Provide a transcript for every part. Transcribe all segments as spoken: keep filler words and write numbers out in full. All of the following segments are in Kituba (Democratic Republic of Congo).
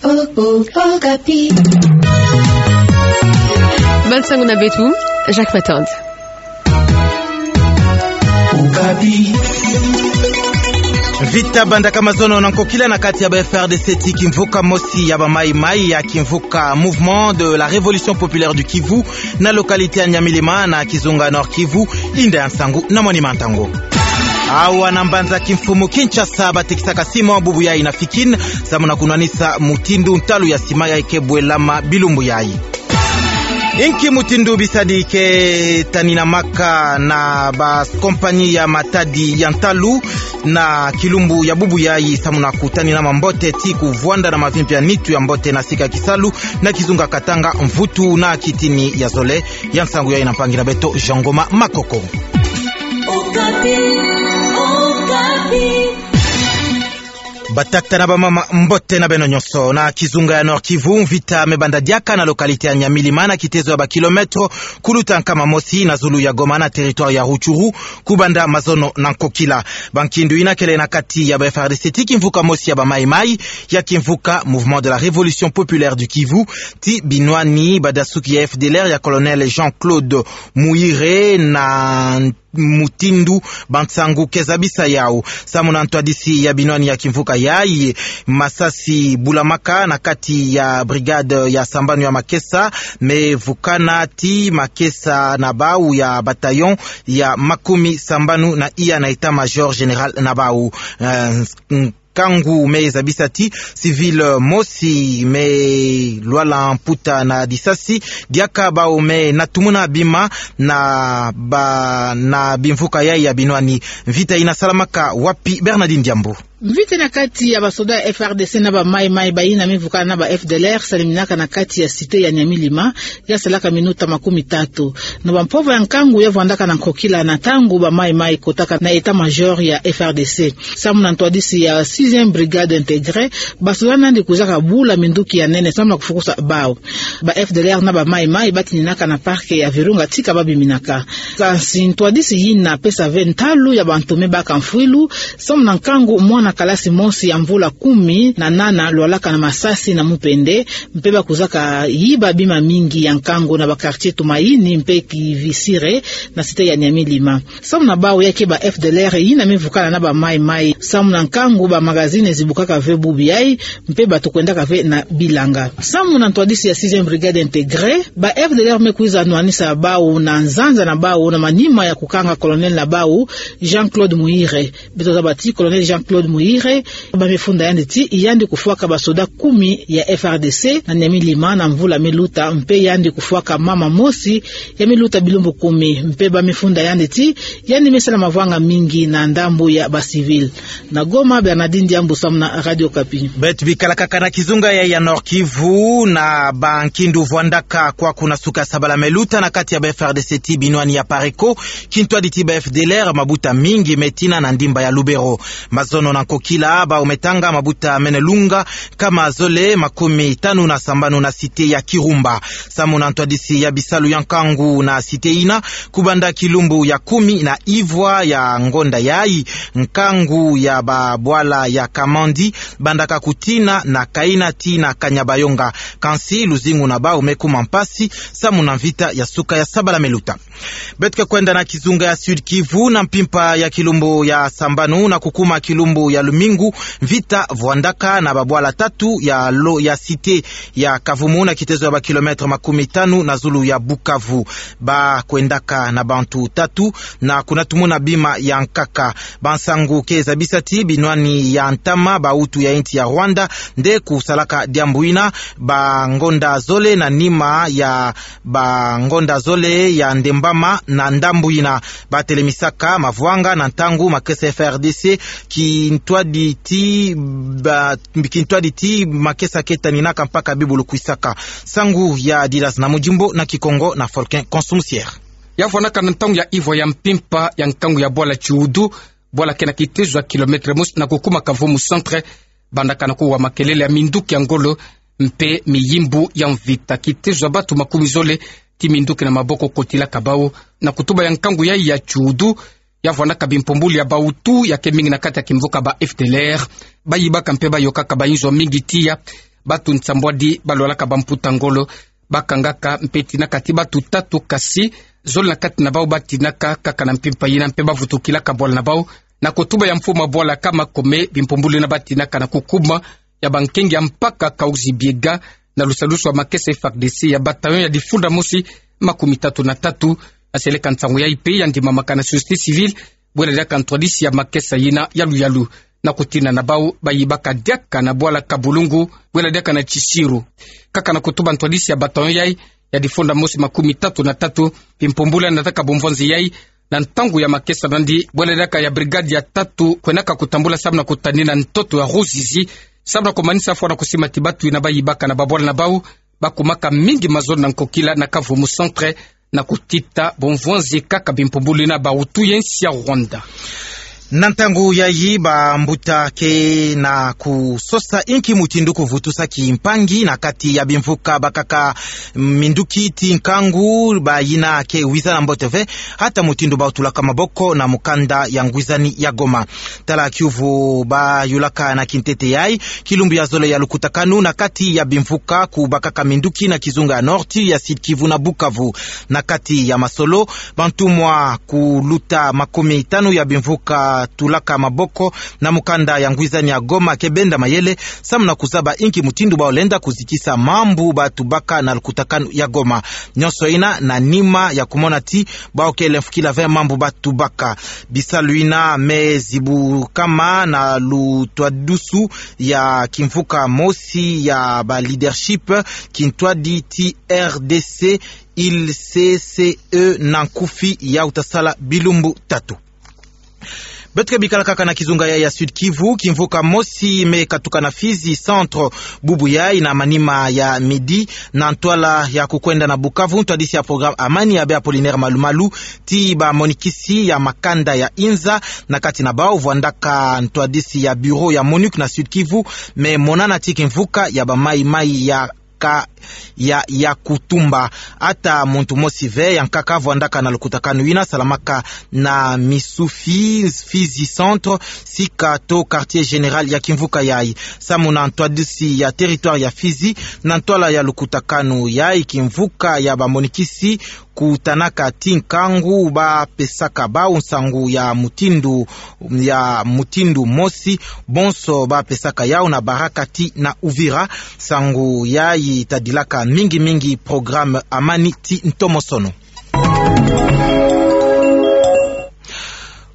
Oh, oh, Okapi. Bande sango na beto, Jacques Matand. Okapi. Mvita bandaka mazono na nkokila na kati ya ba F R D C ti kimvuka mosi ya ba Maï-Maï ya kimvuka Mouvement de la Révolution Populaire du Kivu na localité ya Nyamilima na kizunga Nord-Kivu, inda ya nsangu na mwanima ntangu. Awa na mbanza kimfumu Kinshasa batekisaka ciment bubu yayi na Fikin, samu na kunwanisa mutindu ntalu ya ciment yayi ke bwelama bilumbu yayi. Inki mutindu bisadi ke taninamaka na ba compagnie ya matadi ya ntalu na kilumbu ya bubu yayi, samu na kutaninama mbote ti kuvwanda na mavimpi ya nitu ya mbote na sika kisalu na kizunga Katanga, mvutu na kitini ya zole? Ya nsangu yayi na mpangi na beto Jean Ngoma Makoko. Okapi, Okapi. Batata na bamama, mbote na beno nyonso. Na kizunga ya Nord-Kivu, mvita me banda diaka na localité ya Nyamilima, na kitezo ya ba kilomètre kuluta nkama mosi na zulu ya Goma, na territoire ya Rutshuru, kubanda mazono na nkokila. Ba nkindu yina kele na kati ya ba F R D C ti kimvuka mosi ya ba Maï-Maï ya kimvuka Mouvement de la Révolution Populaire du Kivu, ti binwani badasuki ya F D L R ya Colonel Jean-Claude Muhire, na mutindu ba nsangu ke zabisa yawu. Samu na ntwadisi ya binwani ya kimvuka yayi, masasi bulamaka na kati ya brigade ya sambanu ya makesa me vukana ti makesa na bawu ya bataillon ya makumi sambanu na iya na état-major général na bawu. Eh, nkangu me zabisa ti civil mosi me lwala mputa na disasi, diaka bawu me natumuna bima na ba, na bimvuka yayi ya binwani. Mvita yina salamaka wapi, Bernardine Diambu? Mvita na kati ya basoda ya F R D C na ba Maï-Maï bayina me vukana na ba F D L R saliminaka na kati ya cité ya Nyamilima, ya salaka minuta makumi tatu. Na bampova ya nkangu ya vwandaka na nkokila na ntangu ba Maï-Maï kotaka na état-major ya F R D C. Samu na ntwadisi ya sixième brigade intégrée, basoda nandi kwizaka bula minduki ya nene samu na kufukusa bawu. Ba F D L R na ba Maï-Maï batininaka na parc ya Virunga tika babiminaka. Kansi ntwadisi yina pesa ve ntalu ya bantu me baka mfwilu, samu na nkangu mwana kalasi mosi ya mvula kumi na nana lwalaka na masasi na mupende, mpe bakwizaka yiba bima mingi ya nkangu na ba quartier Tumaini mpe Kivisire na cité ya Nyamilima. Samu na bawu ya ke ba F D L R yina me vukana na ba Maï-Maï. Samu na nkangu ba magazine zibukaka ve bubu yayi, mpe bato kwendaka ve na bilanga. Samu na ntwadisi ya sixième brigade intégrée, ba F D L R me kwiza nwanisa bawu na nzanza na bawu na manima ya kukanga colonel na bawu, Jean-Claude Muhire. Beto zaba ti Colonel Jean-Claude Muhire, ba me funda yandi ti yandi kufwaka basoda kumi ya F R D C na Nyamilima na mvula me luta, mpe yandi kufwaka mama mosi ya me luta bilumbu kumi, mpe ba me funda yandi ti yandi me sala mavwanga mingi na ndambu ya ba civil. Na Goma, Bernardine Diambu samu na Radio Okapi. Beto bikala kaka na kizunga ya, ya Nord-Kivu, na ba nkindu vwandaka kwaku na suka sabala me luta na kati ya ba F R D C ti binwani ya Pareko, kintwadi ti ba F D L R, mabuta mingi me tina na ndimba ya Lubero. Mazono na nkokila, bawu me tanga mabuta mene lunga nkama zole makumi tanu na sambanu na cité ya Kirumba. Samu na ntwadisi ya bisalu ya nkangu na cité yina, kubanda kilumbu ya kumi na ivwa ya ngonda yayi, nkangu ya babwala ya Kamandi bandaka kutina na Kaina tii na Kanyabayonga. Kansi luzingu na bawu me kuma mpasi samu na mvita ya suka ya sabala me luta. Beto ke kwenda na kizunga ya Sud-Kivu, na mpimpa ya kilumbu ya sambanu na kukuma kilumbu ya lumingu, mvita vwandaka na babwala tatu ya lo, ya cité ya Kavumu, na kitezo ya ba kilomètre makumi tanu na zulu ya Bukavu. Ba kwendaka na bantu tatu na kunatumuna bima ya nkaka. Ba nsangu ke zabisa ti binwani ya ntama ba utu ya insi ya Rwanda nde kusalaka diambu yina, ba ngonda zole na nima ya ba ngonda zole ya ndembama na ndambu yina. Batelemisaka mavwanga na ntangu makesa F R D C kintwadi ti ba, kintwadi ti makesa ke taninaka mpaka bibulu kwisaka. Nsangu ya Didas na Mujimbo na Kikongo na Folkin Consumsier. Ya vwandaka na ntangu ya ivwa ya mpimpa ya nkangu ya bwala Tiudu, bwala ke na kitezo ya kilomètre mosi na kukuma Kavumu centre, bandaka na kuwa makelele ya minduki ya ngolo mpe miyimbu ya mvita. Kitezo ya bantu makumi zole ti minduki na maboko kotilaka bawu. Na kutuba ya nkangu yayi ya Tiudu, ya vwandaka bimpumbulu ya ba utu ya ke mingi na kati ya kimvuka ba F D L R. Bayibaka mpe bayokaka bayinzo mingi tiya Batu nsambwadi balwalaka bamputa ngolo bakangaka mpe tinaka ti batu tatu, kasi zole na kati na bau batinaka kaka na mpimpa yina mpe bavutukilaka bwala na bau na kotuba ya mfumu a bwala Kama Kome bimpumbulu yina batinaka na kukuma ya bankengi ya mpaka Kahuzi-Biega na lusalusu wa makesa F A R D C ya bataillon ya difunda mosi makumi tatu na tatu. Na seleka nsangu yayi mpe ya ndimamaka na société civile bwela diaka ntwadisi ya makesa yina yaluyalu. Na kutina na bau bayibaka diaka na bwala Kabulungu bwela diaka na Kisiru. Kaka na kutuba ntwadisi ya bataillon yayi ya difunda mosi makumi tatu na tatu, bimpumbulu yina nataka bumvwanzi yayi na ntangu ya makesa nandi bwela diaka ya brigade ya tatu kwenaka kutambula samu na kutanina ntoto ya Ruzizi samu na kumanisa fwa na kusima ti batu yina bayibaka na babwala na bau bakumaka mingi mazono na nkokila na Kavumu Centre na kutita bumvwanzi kaka bimpumbulu yina bawutu ye nsi ya Rwanda. Na ntangu yayi bambuta ke na kusosa inki mutindu kuvutusa kimpangi na kati ya bimvuka bakaka minduki ti nkangu, bayina ke wiza na mbote ve, hata mutindu bawutulaka maboko na mukanda ya ngwizani ya Goma. Tala kiuvu bayulaka na kintete yayi, kilumbu ya zole ya lukutakanu na kati ya bimvuka ku bakaka minduki na kizunga ya Nord-Kivu, ya Sud-Kivu na Bukavu. Na kati ya masolo, bantumwa kuluta makumi tanu ya bimvuka tulaka maboko na mukanda ya ngwizani ya Goma ke benda mayele samu na kuzaba inki mutindu bawulenda kuzikisa mambu batubaka na lukutakanu ya Goma. Nyonso yina na nima ya kumona ti bawukele mfukila ve mambu batubaka. Bisalu yina me zibukama na lutwadusu ya kimvuka mosi ya ba leadership kintwadi ti R D C, il C C E na nkufi, ya wuta sala bilumbu tatu. Beto ke bikala kaka na kizunga yayi ya Sud-Kivu, kimvuka mosi me katuka na Fizi Centre bubu yayi na manima ya midi, na ntwala ya kukwenda na Bukavu, ntwadisi ya programme Amani, Abbé Apollinaire Malumalu, ti bamonikisi ya makanda ya inza, na kati na bau vwandaka ntwadisi ya bureau ya MONUC na Sud-Kivu, me monana ti kimvuka ya ba maï-maï ya ka-, ya, ya kutumba. Ata muntu mosi ve ya nkaka vwandaka na lukutakanu yina salamaka na Misufi, Fizi Centre, sika to quartier général ya kimvuka yayi. Samu na ntwadisi ya territoire ya Fizi, na ntwala ya lukutakanu yayi, kimvuka ya bamonikisi kutanaka ti nkangu bapesaka bau nsangu ya mutindu, ya mutindu mosi, bonso bapesaka yau na Barakati na Uvira. Nsangu yayi tadilaka mingi-mingi programme Amani ti ntomosono.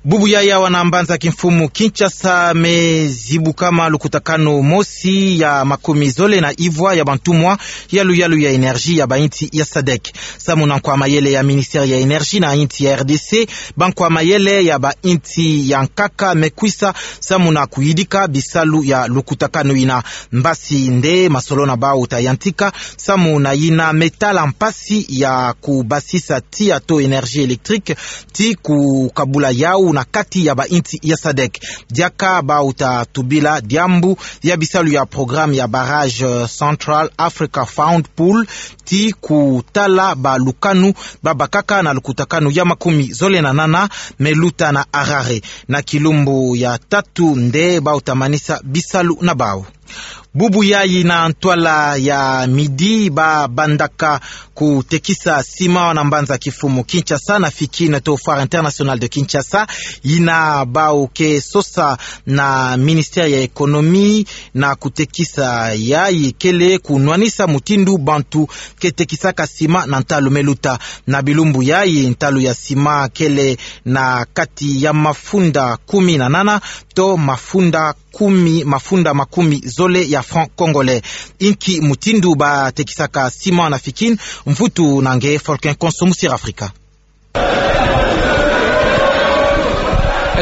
Bubu yayi awa na mbanza kimfumu Kinshasa me zibukama lukutakanu mosi ya makumi zole na ivwa ya bantumwa yalu-yalu ya énergie ya bainsi ya sadec. Samu na nkwa mayele ya ministère ya énergie na insi ya R D C, bankwa mayele ya bainsi ya nkaka me kwisa samu na kuyidika bisalu ya lukutakanu yina. Mbasi nde masolo na bau ta yantika samu na yina me tala mpasi ya kubasisa tiya to énergie électrique ti kukabula yau na kati ya bainsi ya sadec. Diaka bau ta tubila diambu ya bisalu ya programme ya barrage, euh, Central Africa Fund Pool, ti kutala balukanu babakaka na lukutakanu ya makumi zole na nana me luta na Harare. Na kilumbu ya tatu nde bau ta manisa bisalu na bau. Bubu yayi na ntwala ya midi babandaka kutekisa sima na mbanza kifumu Kinshasa na Fikin to Foire Internationale de Kinshasa, yina bau ke sosa na ministère ya économie na kutekisa yayi kele kunwanisa mutindu bantu ke tekisaka sima na ntalu me luta. Na bilumbu yayi ntalu ya sima kele na kati ya mafunda kumi na nana to mafunda kumi, mafunda makumi zole ya francs congolais. Inki mutindu batekisaka sima na Fikin, mvutu na nge Folkin Konso mu Sir Africa.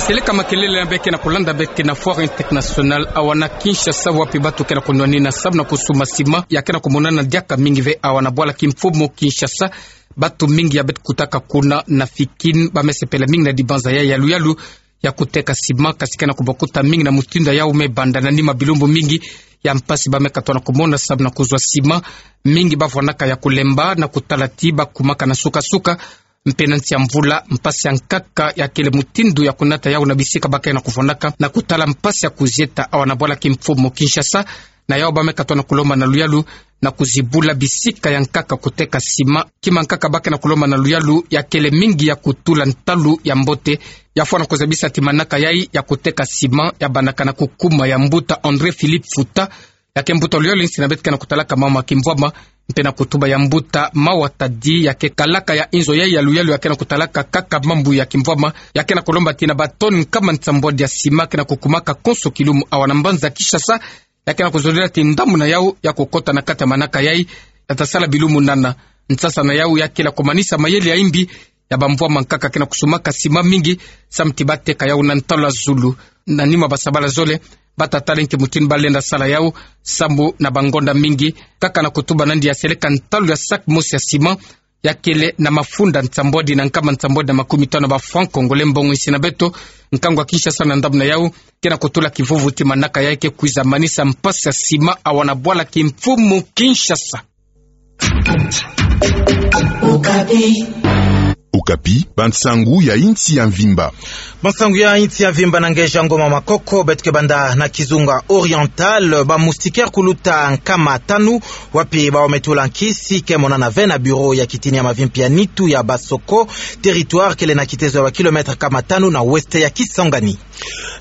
Seleka makelele na beke na kulanda beke na Foire Internationale awa na Kinshasa, wapi batu ke na kunwanina samu na kusuma sima ya ke na kumonana diaka mingi ve awa na bwala kimfumu Kinshasa. Batu mingi ya beto kutaka kuna na Fikin bamesepela mingi na dibanza ya yalu-yalu ya kuteka sima, kasi ke na kubakuta mingi na mutindu ya yau me banda na nima bilumbu mingi ya mpasi bamekatwa na kumona samu na kuzwa sima. Mingi bavwanaka ya kulemba na kutala ti bakumaka na suka-suka mpe na nsi ya mvula, mpasi ya nkaka ya kele mutindu ya kunata yau na bisika ba ke na kuvwanaka na kutala mpasi ya kuzieta awa na bwala kimfumu Kinshasa. Na yawu ba me katoa na kulomba na luyalu na kuzibula bisika ya nkaka kuteka sima. Kima nkaka ba ke na kulomba na luyalu ya kele mingi ya kutula ntalu ya mbote, ya fwana kuzabisa ti manaka yayi ya kuteka sima ya bandaka na kukuma ya mbuta André Philippe Futa, ya ke mbuta luyalu insi na beto ke na kutalaka mawu ma kimvwama, mpe na kutuba ya mbuta Mawa Tadi, ya ke kalaka ya inzo yayi ya luyalu ya ke na kutalaka kaka mambu ya kimvwama, ya ke na kulomba ti na ba tonne nkama nsambwadi ya sima ke na kukumaka konso kilumu awa na mbanza Kinshasa, ya ke na kuzolila ti ndambu na yawu ya kukota na kati ya manaka yayi, ya ta sala bilumu nana. Nsasa na yawu ya kele kumanisa mayele ya imbi ya bamvwama nkaka ke na kusumaka sima mingi, samu ti ba teka yawu na ntalu ya zulu. Na nima ba sabala zole, ba ta tala nki mutindu ba lenda sala yawu, samu na bangonda mingi, kaka na kutuba nandi ya seleka ntalu ya sac mosi ya sima, ya kele na mafunda nsambwadi na nkama nsambwadi na makumi tanu ya ba francs congolais, mbongo insi na beto, nkangu ya Kinshasa. Na ndambu na yawu, ke na kutula kivuvu ti manaka yayi ke kwiza manisa mpasi ya sima awa na bwala kimfumu Kinshasa. Okapi. Okapi, bansangu ya insi ya mvimba. Bansangu ya insi ya mvimba na nge Jean Ngoma Makoko. Beto ke banda na kizunga Oriental. Ba moustiquaire kuluta nkama tanu, wapi ba ometula nkisi, ke monana ve na bureau ya kitini ya mavimpi ya nitu ya Basoko, territoire kele na kitezo ya ba kilomètre nkama tanu na ouest ya Kisangani.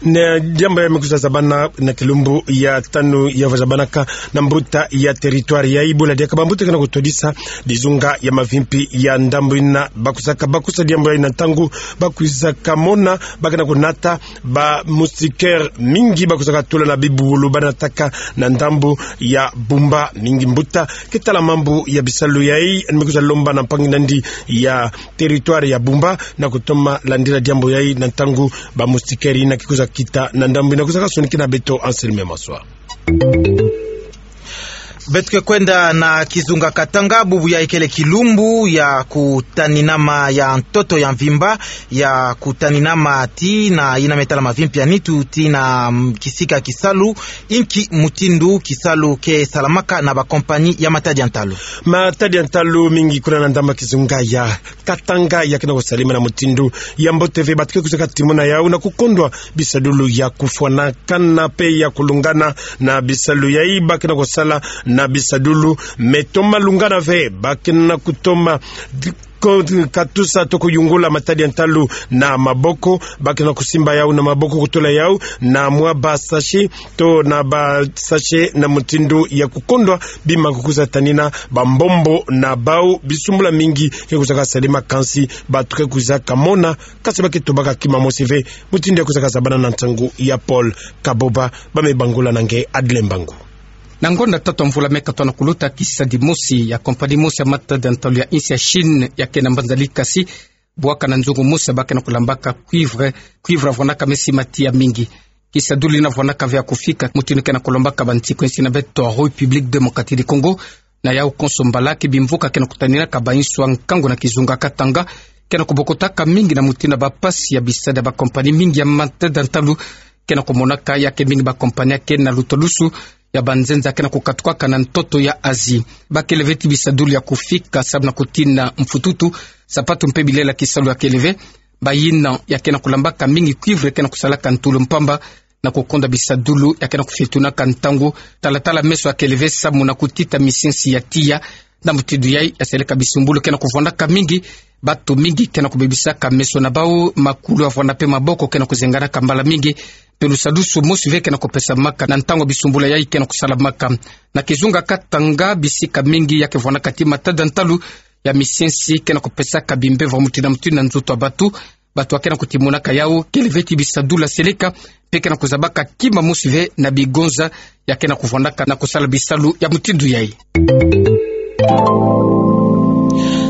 Na diambu yayi me kwiza zabana na kilumbu ya tanu ya va zabanaka na mbuta ya territoire yayi, bula diaka bambuta ke na kutodisa bizunga ya mavimpi ya ndambu yina. Ba kwizaka bakusa diambu yayi na ntangu ba kwizaka mona ba ke na kunata ba moustiquaire mingi ba kwizaka tula na bibubulu ba nataka na ndambu ya Bumba. Mingi mbuta ke tala mambu ya bisalu yayi me kwiza lomba na mpangi nandi ya territoire ya Bumba na kutoma landila diambu yayi na ntangu ba moustiquaire yina ke kwiza kita na ndambu yina. Kwizaka sonikina beto Anselme Maswa. Beto ke kwenda na kizunga Katanga. Bubu yayi kele kilumbu ya kutaninama ya ntoto ya mvimba, ya kutaninama tii na yina me tala mavimpi ya nitu tii na, mm, kisika kisalu. Inki mutindu kisalu ke salamaka na ba compagnie ya matadi ya ntalu? Matadi ya ntalu mingi kuna na ndambu ya kizunga ya Katanga ya ke na kusalama na mutindu ya mbote ve. Bato ke kwizaka timuna yawu na kukondwa bisadulu ya kufwanakana mpe ya kulungana na bisalu yayi. Ba ke na kusala na bisadulu me toma lungana ve, ba ke na kutoma ko-, katusa to kuyungula matadi ya ntalu na maboko. Ba ke na kusimba yawu na maboko, kutula yawu na mwa ba sachet to na ba sachet na mutindu ya kukondwa bima kukwiza tanina bambombo na bawu. Bisumbula mingi ke kwizaka salama, kansi bato ke kwizaka mona, kansi ba ke tobaka kima mosi ve. Mutindu ya kwizaka zabana na nsangu ya Paul Kaboba, ba me bangula na nge Adle Mbangu. Na ngonda tatu ya mvula me katoa na kuluta, kisadi mosi ya compagnie mosi ya matadi ya ntalu ya insi ya Chine ya ke na mbanza Likasi bwaka na nzungu mosi ba ke na kulambaka cuivre, cuivre ya vwanaka me sima tii ya mingi. Kisadulu yina vwanaka ve ya kufika mutindu ke na kulombaka bansiku insi na beto République Démocratique du Congo. Na yawu konso mbala ke bimvuka ke na kutaninaka ba inswa nkangu na kizunga Katanga ke na kubokotaka mingi na mutindu ya ba mpasi ya bisadi ya ba compagnie mingi ya matadi ya ntalu ke na kumonaka. Ya ke mingi ba compagnie ke na lutwadusu ya banzenza ke na kukatukaka na ntoto ya Asie. Ba kele ve ti bisadulu ya kufika sababu na kutina mfututu, sapatu mpe bilela kisalu ya kele ve. Bayina ya ke na kulambaka mingi cuivre ke na kusalaka ntulu mpamba na kukonda bisadulu ya ke na kufetunaka ntangu. Talatala meso ya kele ve sababu na kutita misiensi ya tiya. Na mutindu yayi ya seleka bisumbulu ke na kuvwandaka mingi. Bato mingi ke na kubebisaka meso na bawu, makulu ya vwanda mpe maboko ke na kuzenganaka mbala mingi. Mpe lusadisu mosi ve ke na kupesamaka na ntangu bisumbulu yayi ke na kusalamaka. Na kizunga Katanga, bisika mingi ya ke vwandaka ti matadi ya ntalu ya misiensi ke na kupesaka bimbevo ya mutindu na mutindu na nzoto ya bato. Bato ya ke na kutimonaka yawu kele ve ti bisadulu ya seleka, mpe ke na kuzabaka kima mosi ve na bigonza ya ke na kuvwandaka na kusala bisalu ya mutindu yayi.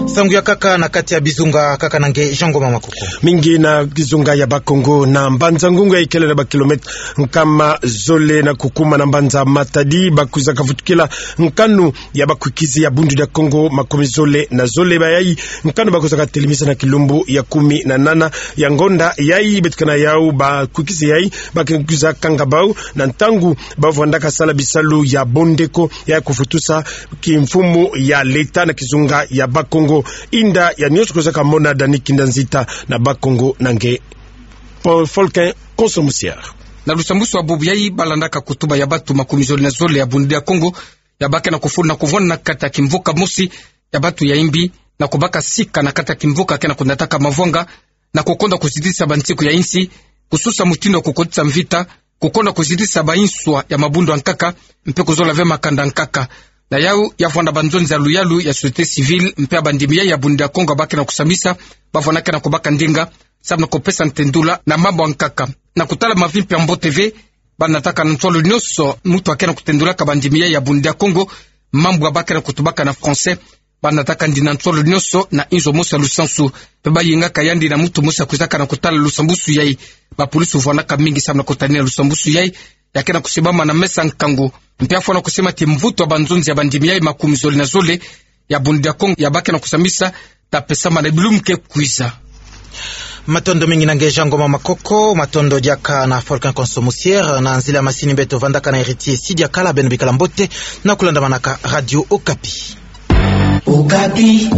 Nsangu ya nkaka na kati ya bizunga, nkaka na nge Jean Ngoma Makoko. Mingi na kizunga ya Bas-Congo, na Mbanza-Ngungu ya ikele na ba kilomètre nkama zole na kukuma na mbanza Matadi, ba kwizaka vutukila nkanu ya bakwikizi ya Bundu dia Kongo makumi zole na zole. Bayayi nkanu ba kwizaka telemisa na kilumbu ya kumi na nana ya ngonda yayi. Beto ke na yawu, bakwikizi yayi ba ke kwiza kanga bawu na ntangu ba vwandaka sala bisalu ya bondeko ya kufutusa kimfumu ya leta na kizunga ya Bas-Congo. Inda ya nionso kwizaka mona Dani Kinda Nzita na Bas-Congo na nge Paul Folkin Konso Musier. Na lusambwasu ya bubu yayi, balandaka kutuba ya batu makumi zole na zole ya Bundu dia Kongo, ya bakena kufulu na kuvwanda na kati ya kimvuka mosi ya batu ya imbi, na kubaka sika na kati ya kimvuka kena kunataka mavwanga, na kukonda kuzitisa bansiku ya insi, kususa mutindu ya kukotisa mvita, kukonda kuzitisa bainswa ya mabundu ya nkaka, mpe kuzola ve makanda ya nkaka. Na yau, ya vwanda banzonzi ya luyalu ya société civile, mpe ya bandimi yayi ya Bundu dia Kongo ya bakena kusambisa, bavwandakena kubaka ndinga, samu na kupesa ntendula na mambu ya nkaka. Na kutala mavi mpe ya mbote ve, banataka na nswalu nyonso, mutu akena kutendulaka bandimi yayi ya Bundu dia Kongo mambu ya bakena kutubaka na français, banataka ndina nswalu nyonso na inzo mosi ya lusansu. Mpe bayingaka yandi na mutu mosi ya kwizaka na kutala lusambwasu yayi. Bapolisi vwandaka mingi samu na kutanina lusambwasu yayi, ya kena kusimbama na mesa nkangu. Mpe ya fwana kusema ti mvutu ya banzonzi ya bandimi yayi makumi zole na zole ya Bundu dia Kongo ya bakena kusambisa, ta pesama na bilumbu ke kwiza. Matondo mingi na nge Jean Ngoma Makoko, matondo diaka na Volcan Konso Musier, na nzila masini beto vandaka na Héritier Sidia Kala, beno bikala mbote na kulandamanaka Radio Okapi. Okapi.